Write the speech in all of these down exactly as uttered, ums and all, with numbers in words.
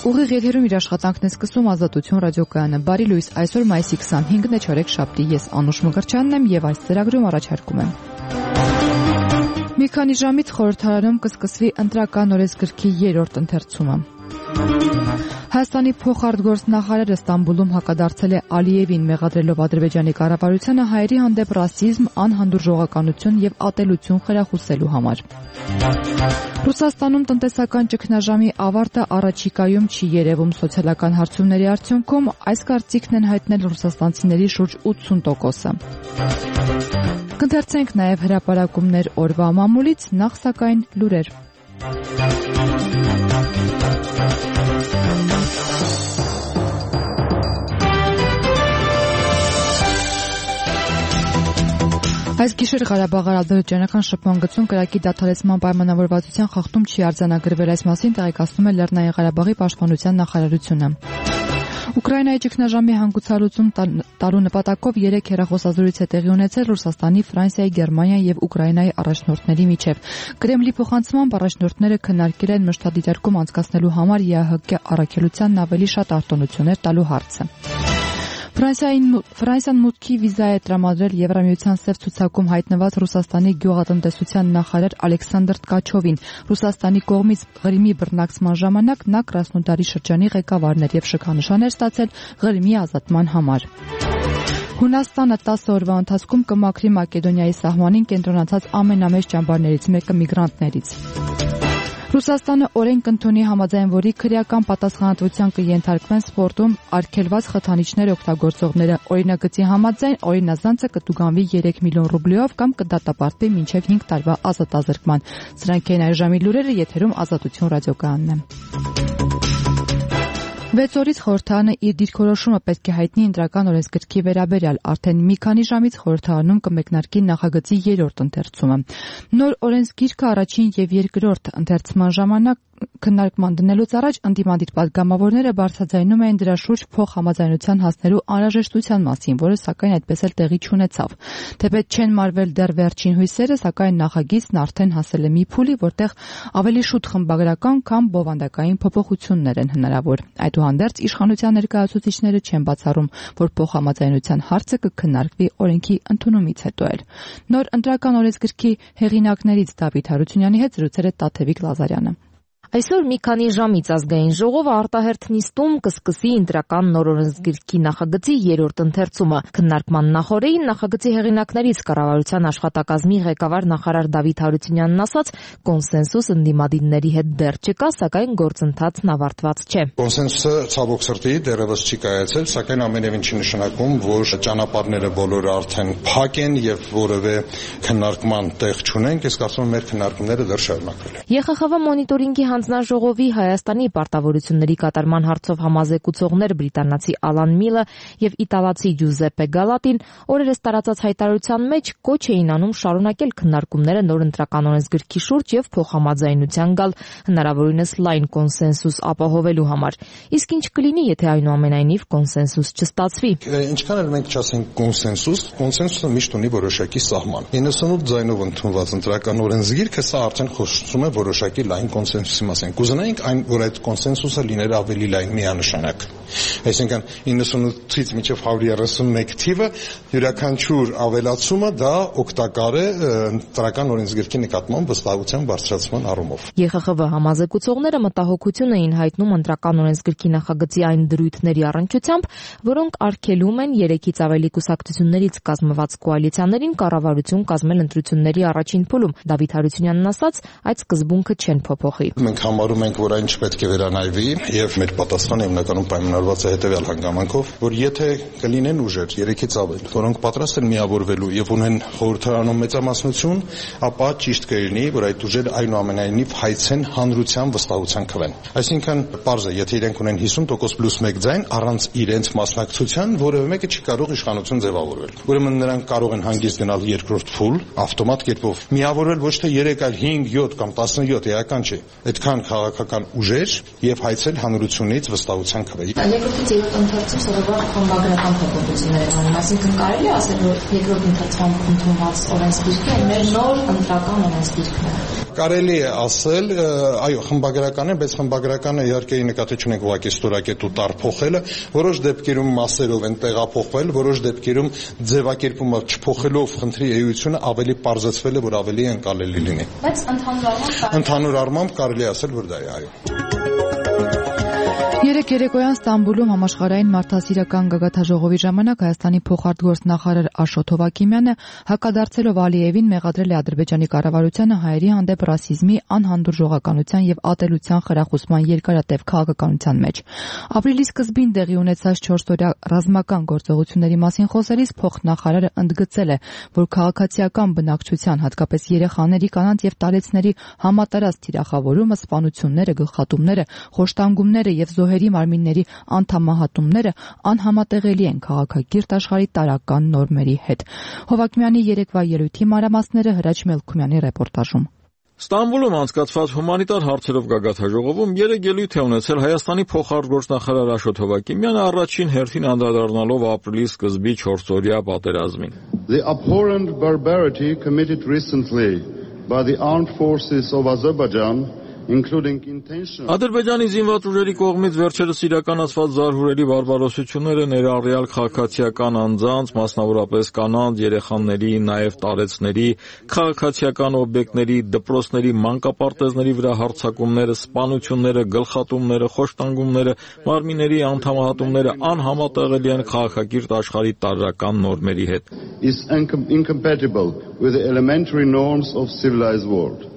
Ուղիղ եթերում իր աշխատանքն է սկսում Ազատություն ռադիոկայանը։ Բարի լույս, այսօր մայիսի քսանհինգն է, չորեքշաբթի, ես Անուշ Մկրտչյանն եմ եւ այս ծրագրում առաջարկում եմ։ Մի քանի ժամից խորհրդարանում կսկսվի ընտրական օրենսգրքի երրորդ ընթերցումը։ Հայաստանի փոխարտգործնախարարը Ստամբուլում հակադարձել է Ալիևին, մեղադրելով Ադրբեջանի կառավարությանը հայերի հանդեպ ռասիզմ, անհանդուրժողականություն եւ ատելություն խրախուսելու համար։ Ռուսաստանում տնտեսական ճգնաժամի ավարտը առաջիկայում չի երևում սոցիալական հարցումների արդյունքում, այս կարծիքն են հայտնել ռուսաստանցիների շուրջ ութսուն տոկոսը։ Կընթերցենք նաև հրապարակումներ օրվա մամուլից, նախ սակայն լուրեր։ Այս գիշեր Ղարաբաղի ադրբեջանական շփման գծում կրակի դադարեցման պայմանավորվածության խախտում չի արձանագրվել, այս մասին տեղեկացնում է Լեռնային Ղարաբաղի պաշտպանության նախարարությունը։ Ուկրաինայի ճգնաժամի հանգուցալուծում տալու նպատակով երեք հեռախոսազրույց է տեղի ունեցել Ռուսաստանի, Ֆրանսիայի, Գերմանիայի եւ Ուկրաինայի առաջնորդների միջև։ Կրեմլի փոխանցմամբ առաջնորդները քննարկել են մշտադիտարկում անցկացնելու համար ԵԱՀԿ առաքելությանն ավելի շատ արտոնություններ տալու հարցը։ Ֆրանսիան մուտքի վիզա է տրամադրել Եվրամիության սև ցուցակում հայտնված Ռուսաստանի գյուղատնտեսության նախարար Ալեքսանդր Ткачովին։ Ռուսաստանի կողմից Ղրիմի բռնակցման ժամանակ նա Կրասնոդարի շրջանի ղեկավարն էր եւ շքանշան էր ստացել Ղրիմի ազատման համար։ Հունաստանը տասը օրվա ընթացքում կմաքրի Մակեդոնիայի սահմանին կենտրոնացած ամենամեծ ճամբարներից մեկը միգրանտներից։ Ռուսաստանը օրենք կընդունի, համաձայն որի քրեական պատասխանատվության կենթարկվեն սպորտում արգելված խթանիչներ օգտագործողները։ Օրինագծի համաձայն օրինազանցը կտուգանվի երեք միլիոն ռուբլիով կամ կդատապարտվի մինչև հինգ տարվա ազատազրկման։ Սրանք են այժմի լուրերը, եթերում Ազատություն ռադիոկայանն է։ Վեց օրից խորհրդարանը իր դիրքորոշումը պետք է հայտնի ընտրական օրենսգրքի վերաբերյալ, արդեն մի քանի ժամից խորհրդարանում կմեկնարկի նախագծի երրորդ ընթերցումը։ Նոր օրենսգիրքը առաջին եւ երկրորդ ընթերցման ժամանակ քննարկման դնելուց առաջ ընդդիմադիր պատգամավորները բարձրաձայնում էին դրա շուրջ փոխհամաձայնության հասնելու անհրաժեշտության մասին, որը սակայն այդպես էլ տեղի չունեցավ։ Թեպետ չեն մարվել դեռ վերջին հույսերը, սակայն նախագիծն արդեն հասել է մի փուլի, որտեղ ավելի շուտ խմբագրական կամ բովանդակային փոփոխություններ են հնարավոր։ Այդուհանդերձ իշխանության ներկայացուցիչները չեն բացառում, որ փոխհամաձայնության հարցը կքննարկվի օրենքի ընդունումից հետո էլ։ Նոր ընտրական օրենսգրքի հեղինակներից Դավիթ Հարությունյանի հետ զրուցել է Տաթևիկ Լազարյանը։ Այսօր մի քանի ժամից ազգային ժողովը արտահերթ նիստում կսկսի ընտրական նոր օրենսգրքի նախագծի երրորդ ընթերցումը։ Քննարկման նախօրեին նախագծի հեղինակներից կառավարության աշխատակազմի ղեկավար նախարար Դավիթ Հարությունյանն ասաց, կոնսենսուս ընդդիմադիրների հետ դեռ չկա, սակայն գործընթացն ավարտված չէ։ Կոնսենսուսը ցավոք սրտի դեռևս չի կայացել, սակայն ամենևին չի նշանակում, որ ճանապարհները բոլորը արդեն փակ են եւ որևէ քննարկման տեղ չունենք, ես կարծում եմ մեր քննարկումները դեռ շարունակվել են։ ԵԽԽՎ մոնիտորինգի հանձնաժողովի Հայաստանի պարտավորությունների կատարման հարցով համազեկուցողներ բրիտանացի Ալան Միլը եւ իտալացի Ջուզեպպե Գալատին օրերս տարածած հայտարարության մեջ կոչ էին անում շարունակել քննարկումները նոր ընտրական օրենսգրքի շուրջ եւ փոխհամաձայնության գալ, հնարավորինս լայն կոնսենսուս ապահովելու համար։ Իսկ ինչ կլինի, եթե այնուամենայնիվ կոնսենսուս չստացվի։ Ինչքան էլ մենք չասենք կոնսենսուս, կոնսենսուսը միշտ ունի որոշակի սահման։ իննսունութ ձայնով ընդունված ընտրական օրենսգիրքը սա արդեն խոսում է որոշակի լայն կոնսենսուսի մասին։ Կուզենայինք այն, որ այդ կոնսենսուսը լիներ ավելի լայն միանշանակ։ Այսինքն իննսունութից մինչև հարյուր երեսունմեկ թիվը յուրաքանչյուր ավելացումը դա օգտակար է ընտրական օրենսգրքի նկատմամբ վստահության բարձրացման առումով։ ԵԽԽՎ համազեկուցողները մտահոգություն էին հայտնում ընտրական օրենսգրքի նախագծի այն դրույթների առնչությամբ, որոնք արգելում են երեքից ավելի կուսակցություններից կազմված կոալիցիաներին կառավարություն կազմել ընտրությունների առաջին փուլում։ Դավիթ Հարությունյանն ասաց, այդ սկզբունքը չեն փոփոխի։ Մենք համարում ենք, որ այն չպետք է վերանայվի եւ մեր պատասխանը հիմնականում պայմանավորված է հետեւյալ հանգամանքով, որ եթե կլինեն ուժեր երեքից ավել, որոնք պատրաստ են միավորվելու եւ ունեն խորհրդարանում մեծամասնություն, ապա ճիշտ կլինի, որ այդ ուժերը այնուամենայնիվ հայցեն հանրության վստահության քվեն։ Այսինքն, պարզ է, եթե իրենք ունեն հիսուն տոկոս պլյուս մեկ ձայն, առանց իրենց մասնակցության որևէ մեկը չի կարող իշխանություն ձևավորել։ Ուրեմն նրանք կարող են հանգիստ գնալ երկրորդ փուլ, ավտոմատ կերպով միավորվել ոչ թե երեք, այլ հինգ, յոթ կամ տասնյոթ, էական չէ։ Այդքան քաղաքական ուժեր եւ հայցել հանրությունից վստահության քվե։ երկրորդից երրորդ ընթերցում սովորաբար խմբագրական փոփոխություններ են անում, այսինքն կարելի է ասել, որ երկրորդ ընթերցման ընդունված օրենսգիրքը մեր նոր ընտրական օրենսգիրքն է։ Կարելի է ասել, այո, խմբագրական է, բայց խմբագրականը իհարկե նկատի չունենք ուղղակի ստորակետ ու տար փոխելը, որոշ դեպքերում մասերով են տեղափոխվել, որոշ դեպքերում ձևակերպումը չփոխելով խնդրի էությունը ավելի պարզեցվել է, որ ավելի ընկալելի լինի։ Բայց ընդհանուր առմամբ ընդհանուր առմամբ կարելի է ասել, որ դա է, այո։ Երեկ երեկոյան Ստամբուլում համաշխարհային մարդասիրական գագաթաժողովի ժամանակ Հայաստանի փոխարտգործնախարար Աշոտ Հովակիմյանը հակադարձելով Ալիևին մեղադրել է Ադրբեջանի կառավարությանը հայերի հանդեպ ռասիզմի, անհանդուրժողականության եւ ատելության խրախուսման երկարատև քաղաքականության մեջ։ Ապրիլի սկզբին տեղի ունեցած չորսօրյա ռազմական գործողությունների մասին խոսելիս փոխնախարարը ընդգծել է, որ քաղաքացիական բնակչության, հատկապես երեխաների, կանանց եւ տարեցների համատարած թիրախավորումը, սպանությունները, գլխատումները, խոշտանգումները եւ զոհերի մարմինների անդամահատումները անհամատեղելի են քաղաքակիրթ աշխարհի տարրական նորմերի հետ։ Հովակիմյանի երեկվա ելույթի մանրամասները Հրաչ Մելքումյանի ռեպորտաժում։ Ստամբուլում անցկացված հումանիտար հարցերով գագաթաժողովում երեք ելույթ է ունեցել Հայաստանի փոխարտգործնախարար Աշոտ Հովակիմյանը, առաջին հերթին անդրադառնալով ապրիլի սկզբի չորսօրյա պատերազմին։ The abhorrent barbarity committed recently by the armed forces of Azerbaijan, including intentional Ադրբեջանի զինված ուժերի կողմից վերջերս իրականացված զարհուրելի բարբարոսությունները ներառյալ քաղաքացիական անձանց, մասնավորապես կանանց, երեխաների, նաև տարեցների, քաղաքացիական օբյեկտների, դպրոցների, մանկապարտեզների վրա հարձակումները, սպանությունները, գլխատումները, խոշտանգումները, մարմինների անդամահատումները անհամատեղելի են քաղաքակիրթ աշխարհի տարրական նորմերի հետ։ is incompatible with the elementary norms of civilized world.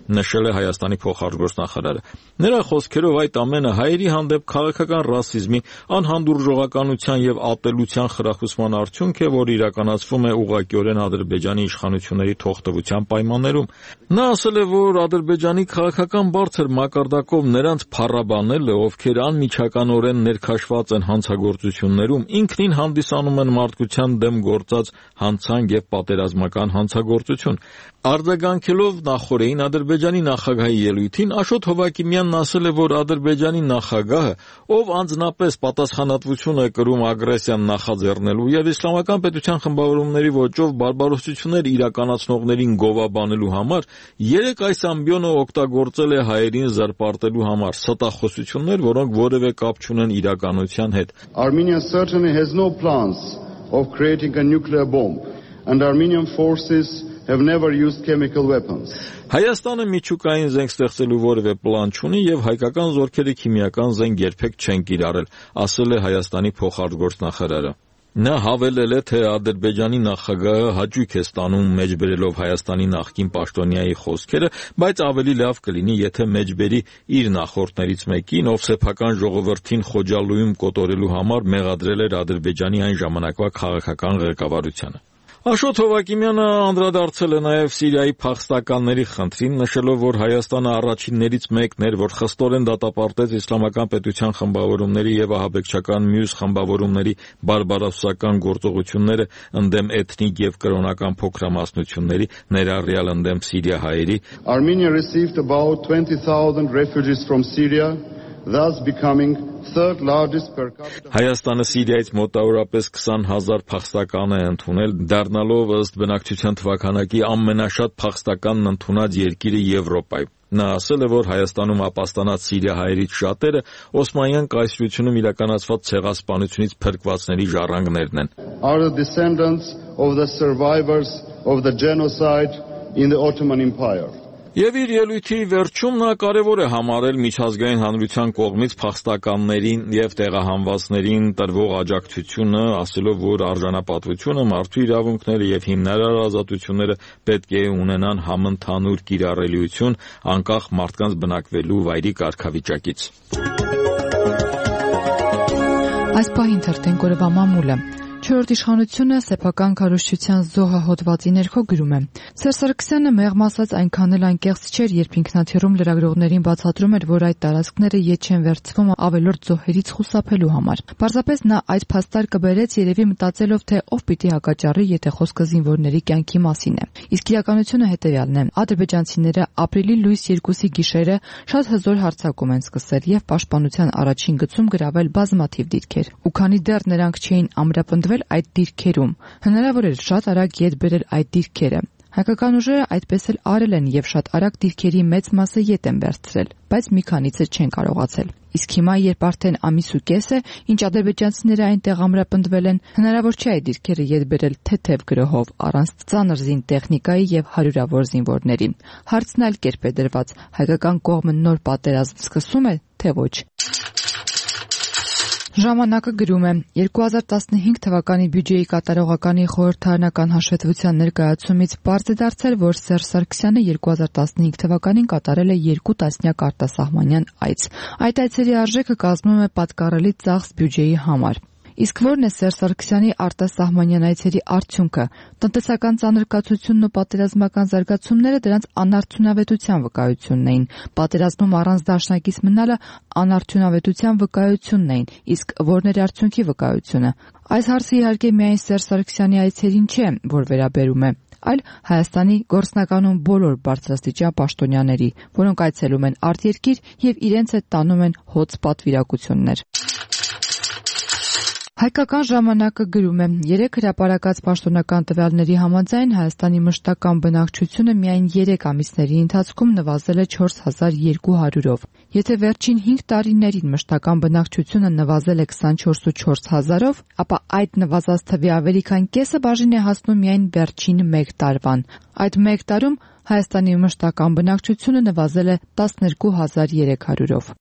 Նշել է Հայաստանի փոխարտգործնախարարը։ Նրա խոսքերով այդ ամենը հայերի հանդեպ քաղաքական ռասիզմի, անհանդուրժողականության եւ ատելության խրախուսման արդյունք է, որ իրականացվում է ուղղակիորեն Ադրբեջանի իշխանությունների թողտվության պայմաններում։ Նա ասել է, որ Ադրբեջանի քաղաքական բարձր մակարդակով նրանց փառաբանելը, ովքեր անմիջականորեն ներքաշված են հանցագործություններում, ինքնին հանդիսանում են մարդկության դեմ գործած հանցանք եւ պատերազմական հանցագործություն։ Արձագանքելով նախորդին Ադրբեջանի նախագահի ելույթին, Աշոտ Հովակիմյանն ասել է, որ Ադրբեջանի նախագահը, ով անձնապես պատասխանատվություն է կրում ագրեսիան նախաձեռնելու եւ իսլամական պետության խմբավորումների ոճով բարբարոսություններ իրականացնողներին գովաբանելու համար, երեք այս ամբիոնը օգտագործել է հայերին զրպարտելու համար, ստախոսություններ, որոնք որևէ կապ չունեն իրականության հետ։ Armenia certainly has no plans of creating a nuclear bomb, and Armenian forces have never used chemical weapons. Հայաստանը միջուկային զենք ստեղծելու որևէ պլան չունի եւ հայկական զորքերը քիմիական զենք երբեք չեն կիրառել, ասել է Հայաստանի փոխարտգործնախարարը։ Նա հավելել է, թե Ադրբեջանի նախագահը հաճույք է ստանում մեջբերելով Հայաստանի նախկին պաշտոնյայի խոսքերը, բայց ավելի լավ կլինի, եթե մեջբերի իր նախորդներից մեկին, ով սեփական ժողովրդին խոջալույում կոտորելու համար մեղադրել էր Ադրբեջանի այն ժամանակվա քաղաքական ղեկավարությանը։ Աշոտ Հովակիմյանը անդրադարձել է նաև Սիրիայի փախստականների խնդրին, նշելով, որ Հայաստանը առաջիններից մեկն էր, որ խստորեն դատապարտեց իսլամական պետության խմբավորումների եւ ահաբեկչական մյուս խմբավորումների բարբարոսական գործողությունները ընդդեմ էթնիկ եւ կրոնական փոքրամասնությունների, ներառյալ ընդդեմ սիրիահայերի։ Armenia received about twenty thousand refugees from Syria, thus becoming third largest per capita. Հայաստանը Սիրիայից մոտավորապես քսան հազար փախստական է ընդունել, դառնալով ըստ բնակչության թվաքանակի ամենաշատ փախստականն ընդունած երկիրը Եվրոպայում։ Նա ասել է, որ Հայաստանում ապաստանած սիրիահայերից շատերը Օսմանյան կայսրությունում իրականացված ցեղասպանությունից փրկվածների ժառանգներն են։ Are the descendants of the survivors of the genocide in the Ottoman Empire. Եվ իր ելույթի վերջում նա կարևոր է համարել միջազգային հանրության կողմից փախստականներին եւ տեղահանվածներին տրվող աջակցությունը, ասելով, որ արժանապատվությունը, մարդու իրավունքները եւ հիմնարար ազատությունները պետք է ունենան համընդհանուր կիրառելիություն, անկախ մարդկանց բնակվելու վայրի կարգավիճակից։ Այս պահին թերթենք օրվա մամուլը։ Չորրորդ իշխանությունը սեփական քարոզչության զոհը հոդվածի ներքո գրում է. Սերժ Սարգսյանը մեղմ ասած այնքան էլ անկեղծ չէր, երբ ինքնաթիռում լրագրողներին բացատրում էր, որ այդ տարածքները ետ չեն վերցվում ավելորդ զոհերից խուսափելու համար։ Պարզապես նա այդ փաստար կբերեց երևի մտածելով, թե ով պիտի հակաճառի, եթե խոսքը զինվորների կյանքի մասին է։ Իսկ իրականությունը հետևյալն է. ադրբեջանցիները ապրիլի լույս երկուսի գիշերը շատ հզոր հարձակում են սկսել եւ պաշտպանության առաջին գծում գրավել բազմաթիվ դիրքեր։ Ու քանի դեռ նրանք չէին ամրապնդվել այդ դիրքերում, հնարավոր էր շատ արագ ետ բերել այդ դիրքերը։ Հայկական ուժերը այդպես էլ արել են եւ շատ արագ դիրքերի մեծ մասը ետ են վերցրել, բայց մի քանիցը չեն կարողացել։ Իսկ հիմա, երբ արդեն ամիս ու կես է, ինչ ադրբեջանցիները այնտեղ ամրապնդվել են, հնարավոր չէ այդ դիրքերը ետ բերել թեթև գրոհով, առանց ծանր զին տեխնիկայի եւ հարյուրավոր զինվորների։ Հարցն այլ կերպ է դրված. հայկական կողմը նոր պատերազմ սկսում է, թե ոչ։ Ժամանակը գրում է. երկու հազար տասնհինգ թվականի բյուջեի կատարողականի խորհրդարանական հաշվետվության ներկայացումից պարզ է դարձել, որ Սերժ Սարգսյանը երկու հազար տասնհինգ թվականին կատարել է երկու տասնյակ արտասահմանյան այց։ Այդ այցերի արժեքը կազմում է պատկառելի ծախս բյուջեի համար։ Իսկ ո՞րն է Սերժ Սարգսյանի արտասահմանյան այցերի արդյունքը։ Տնտեսական ծանրկացությունն ու պատերազմական զարգացումները դրանց անարդյունավետության վկայությունն էին։ Պատերազմում առանց դաշնակից մնալը անարդյունավետության վկայությունն էին, իսկ ո՞րն էր արդյունքի վկայությունը։ Այս հարցը իհարկե միայն Սերժ Սարգսյանի այցերին չէ, որ վերաբերում է, այլ Հայաստանի գործնականում բոլոր բարձրաստիճան պաշտոնյաների, որոնք այցելում են արտերկիր եւ իրենց հետ տանում են հոծ պատվիրակություններ։ Հայկական ժամանակը գրում է. երեք հրապարակած պաշտոնական տվյալների համաձայն Հայաստանի մշտական բնակչությունը միայն երեք ամիսների ընթացքում նվազել է չորս հազար երկու հարյուրով։ Եթե վերջին հինգ տարիներին մշտական բնակչությունը նվազել է քսանչորս ու չորս հազարով, ապա այդ նվազած թվի ավելի քան կեսը բաժին է հասնում միայն վերջին մեկ տարվան։ Այդ մեկ տարում Հայաստանի մշտական բնակչությունը նվազել է տասներկու հազար երեք հարյուրով։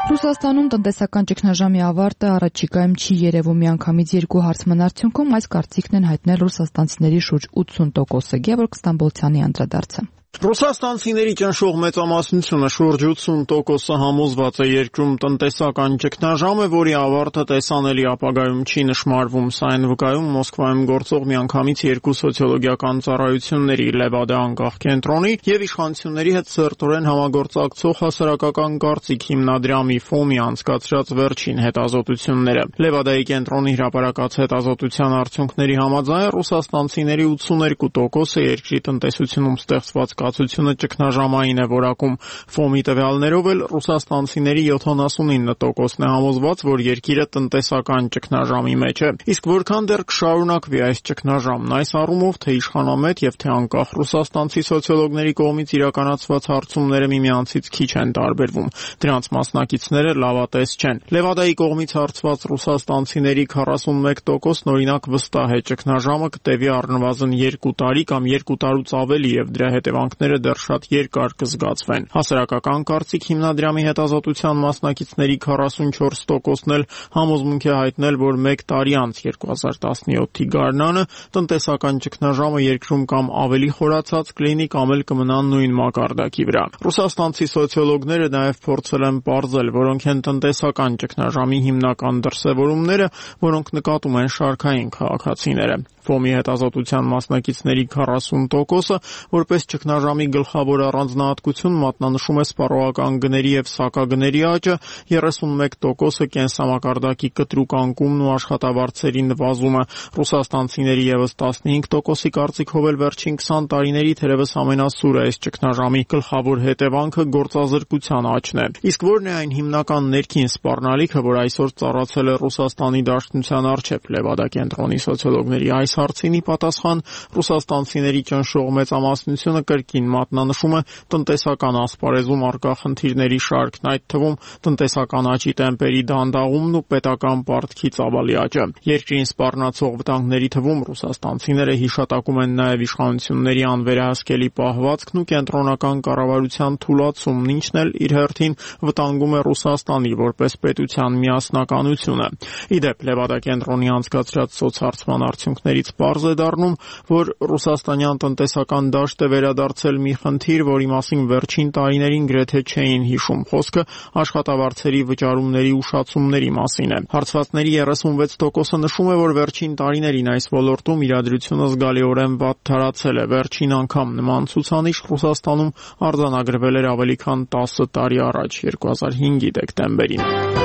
Ռուսաստանում տնտեսական ճգնաժամի ավարտը առաջիկայում չի երևում միանգամից երկու հարցման արդյունքում, այս կարծիքն են հայտնել ռուսաստանցիների շուրջ ութսուն տոկոսը։ Գևորգ Ստամբոլցյանի անդրադարձը։ Ռուսաստանցիների ճնշող մեծամասնությունը շուրջ ութսուն տոկոսը համոզված է երկրում տնտեսական ճգնաժամ է, որի ավարտը տեսանելի ապագայում չի նշմարվում։ Սա են վկայում Մոսկվայում գործող միանգամից երկու սոցիոլոգիական ծառայությունների՝ Լևադա անկախ կենտրոնի եւ իշխանությունների հետ սերտորեն համագործակցող հասարակական կարծիք հիմնադրամի ֆոմի անցկացրած վերջին հետազոտությունները։ Լևադայի կենտրոնի հրապարակած հետազոտության արդյունքների համաձայն ռուսաստանցիների ութսուներկու տոկոսը երկրի տնտեսությունում ստեղծված կացությունը ճգնաժամային է որակում։ Ֆոմի տվյալներով էլ ռուսաստանցիների յոթանասունինը տոկոսն է համոզված, որ երկիրը տնտեսական ճգնաժամի մեջ է։ Իսկ որքան դեռ կշարունակվի այս ճգնաժամն, այս առումով թե իշխանամետ եւ թե անկախ ռուսաստանցի սոցիոլոգների կողմից իրականացված հարցումները միմյանցից քիչ են տարբերվում։ Դրանց մասնակիցները լավատես չեն։ Լևադայի կողմից հարցված ռուսաստանցիների քառասունմեկ տոկոսն օրինակ վստահ է ճգնաժամը կտևի առնվազն երկու տարի կամ երկու տարուց ավելի եւ դրա հետևանքները դեռ շատ երկար կզգացվեն։ Հասարակական կարծիք հիմնադրամի հետազոտության մասնակիցների քառասունչորս տոկոսն էլ համոզմունք է հայտնել, որ մեկ տարի անց երկու հազար տասնյոթի գարնանը տնտեսական ճգնաժամը երկրում կամ ավելի խորացած կլինի կամ էլ կմնա նույն մակարդակի վրա։ Ռուսաստանցի սոցիոլոգները նաև փորձել են պարզել, որոնք են տնտեսական ճգնաժամի հիմնական դրսևորումները, որոնք նկատում են շարքային քաղաքացիները։ Ֆոմի հետազոտության մասնակիցների քառասուն տոկոսը որպես ճգնաժամի գլխավոր առանձնահատկություն մատնանշում է սպառողական գների եւ սակագների աճը, երեսունմեկ տոկոսը կենսամակարդակի կտրուկ անկումն ու աշխատավարձերի նվազումը։ Ռուսաստանցիների եւս տասնհինգ տոկոսի կարծիքով էլ վերջին քսան տարիների թերևս ամենասուրը այս ճգնաժամի գլխավոր հետևանքը գործազրկության աճն է։ Իսկ ո՞րն է այն հիմնական ներքին սպառնալիքը, որ այսօր ծառացել է Ռուսաստանի Դաշնության առջև։ Լևադա կենտրոնի սոցիոլոգների այս հարցինի պատասխան ռուսաստանցիների ճնշող մեծամասնությունը կրկին մատնանշում է տնտեսական ասպարեզում առկա խնդիրների շարքն, այդ թվում տնտեսական աճի տեմպերի դանդաղումն ու պետական պարտքի ծավալի աճը։ Երկրին սպառնացող վտանգների թվում ռուսաստանցիները հիշատակում են նաև իշխանությունների անվերահսկելի պահվածքն ու կենտրոնական կառավարության թուլացումն, ինչն էլ իր հերթին վտանգում է Ռուսաստանի որպես պետության միասնականությունը։ Ի դեպ, Լևադա կենտրոնի անցկացրած սոցհարցման արդյունքներից պարզ է դառնում, որ ռուսաստանյան տնտեսական դաշտը վերադարձ դարձել մի խնդիր, որի մասին վերջին տարիներին գրեթե չէին հիշում։ Խոսքը աշխատավարձերի վճարումների ուշացումների մասին է։ Հարցվածների երեսունվեց տոկոսը նշում է, որ վերջին տարիներին այս ոլորտում իրադրությունը զգալիորեն վատթարացել է։ Վերջին անգամ նման ցուցանիշ Ռուսաստանում արձանագրվել էր ավելի քան տասը տարի առաջ, երկու հազար հինգի դեկտեմբերին։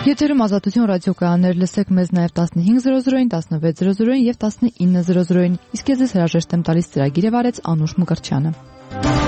Եթերում Ազատություն ռադիոկայաններ, լսեք մեզ նաև տասնհինգ զրո զրոին, տասնվեց զրո զրոին եւ տասնինը զրո զրոին։ Իսկ ես հրաժեշտ եմ տալիս ծրագիրը վարեց Անուշ Մկրտչյանը։